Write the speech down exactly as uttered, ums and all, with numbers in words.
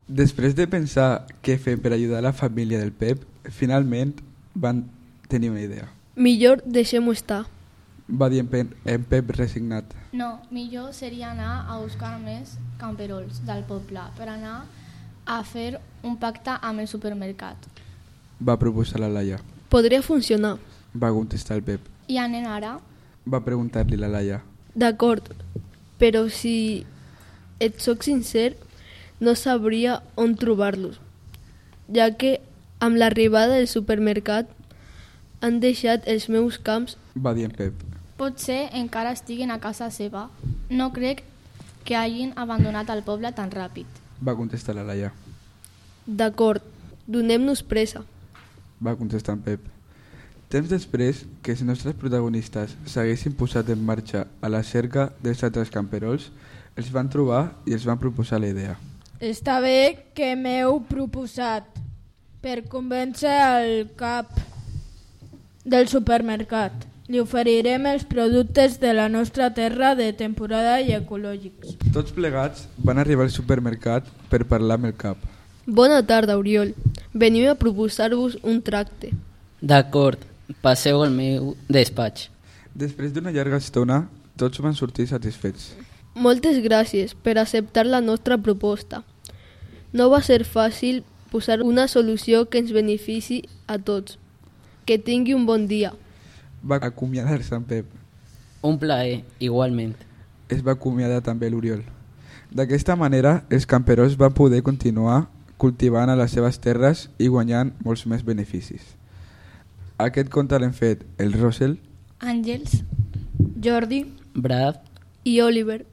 Després de pensar què fer per ajudar la família del Pep, finalment van tenir una idea. Millor deixem-ho estar. Va dir en Pep, en Pep resignat. No, millor seria anar a buscar més camperols del poble per anar a fer un pacte amb el supermercat. Va proposar la Laia. Podria funcionar. Va contestar el Pep. I anem ara? Va preguntar-li la Laia. D'acord, però si et soc sincer, no sabria on trobar-los, ja que amb l'arribada del supermercat han deixat els meus camps. Va dir en Pep. Potser encara estiguin a casa seva. No crec que hagin abandonat el poble tan ràpid. Va contestar la Laia. D'acord, donem-nos pressa. Va contestar en Pep. Temps després que els nostres protagonistes s'haguessin posat en marxa a la cerca dels altres camperols, els van trobar i els van proposar la idea. Està bé que m'heu proposat per convèncer el cap del supermercat. Li oferirem els productes de la nostra terra de temporada i ecològics. Tots plegats van arribar al supermercat per parlar amb el cap. Bona tarda, Oriol. Venim a proposar-vos un tracte. D'acord, passeu al meu despatx. Després d'una llarga estona, tots van sortir satisfets. Moltes gràcies per acceptar la nostra proposta. No va ser fàcil posar una solució que ens benefici a tots. Que tingui un bon dia. Va acomiadar-se en Pep. Un plaer, igualment. Es va acomiadar també l'Oriol. D'aquesta manera, els camperols van poder continuar cultivant a les seves terres i guanyant molts més beneficis. Aquest conte l'hem fet el Rosel, Àngels, Jordi, Brad I Oliver.